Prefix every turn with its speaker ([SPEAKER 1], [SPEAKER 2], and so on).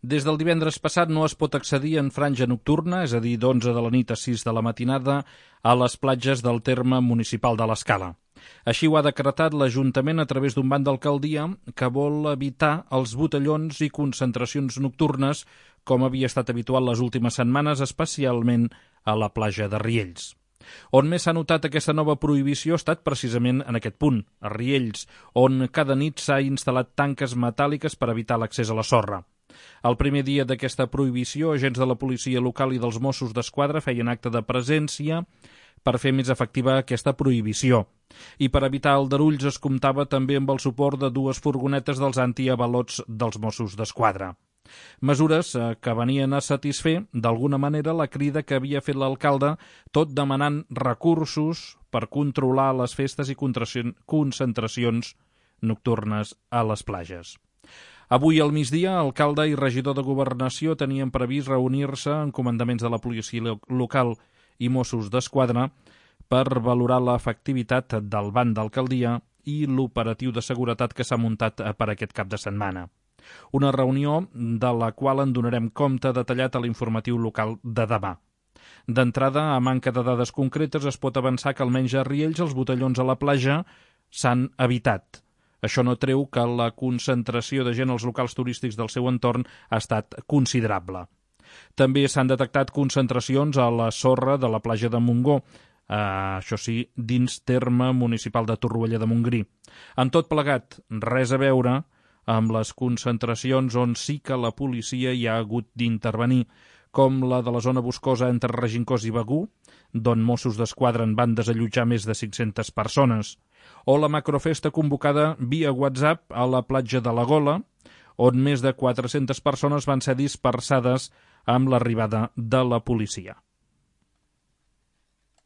[SPEAKER 1] Des del divendres passat no es pot accedir en franja nocturna, és a dir, d'11 de la nit a 6 de la matinada, a les platges del terme municipal de l'Escala. Així ho ha decretat l'Ajuntament a través d'un banc d'alcaldia que vol evitar els botellons i concentracions nocturnes, com havia estat habitual les últimes setmanes, especialment a la platja de Riells. On més s'ha notat aquesta nova prohibició ha estat precisament en aquest punt, a Riells, on cada nit s'ha instal·lat tanques metàl·liques per evitar l'accés a la sorra. El primer dia d'aquesta prohibició, agents de la policia local i dels Mossos d'Esquadra feien acte de presència per fer més efectiva aquesta prohibició. I per evitar aldarulls es comptava també amb el suport de 2 furgonetes dels antiavalots dels Mossos d'Esquadra. Mesures que venien a satisfer, d'alguna manera, la crida que havia fet l'alcalde, tot demanant recursos per controlar les festes i concentracions nocturnes a les platges. Avui al migdia, alcalde i regidor de Governació tenien previst reunir-se en comandaments de la policia local i Mossos d'Esquadra per valorar l'efectivitat del banc d'alcaldia i l'operatiu de seguretat que s'ha muntat per aquest cap de setmana. Una reunió de la qual en donarem compte detallat a l'informatiu local de demà. D'entrada, a manca de dades concretes, es pot avançar que almenys a Riells els botellons a la platja s'han evitat. Això no treu que la concentració de gent als locals turístics del seu entorn ha estat considerable. També s'han detectat concentracions a la sorra de la platja de Montgó, això sí, dins terme municipal de Torroella de Montgrí. En tot plegat, res a veure amb les concentracions on sí que la policia hi ha hagut d'intervenir, com la de la zona boscosa entre Regencós i Begur, d'on Mossos d'Esquadra en van desallotjar més de 500 persones, o la macrofesta convocada via WhatsApp a la platja de la Gola, on més de 400 persones van ser dispersades amb l'arribada de la policia.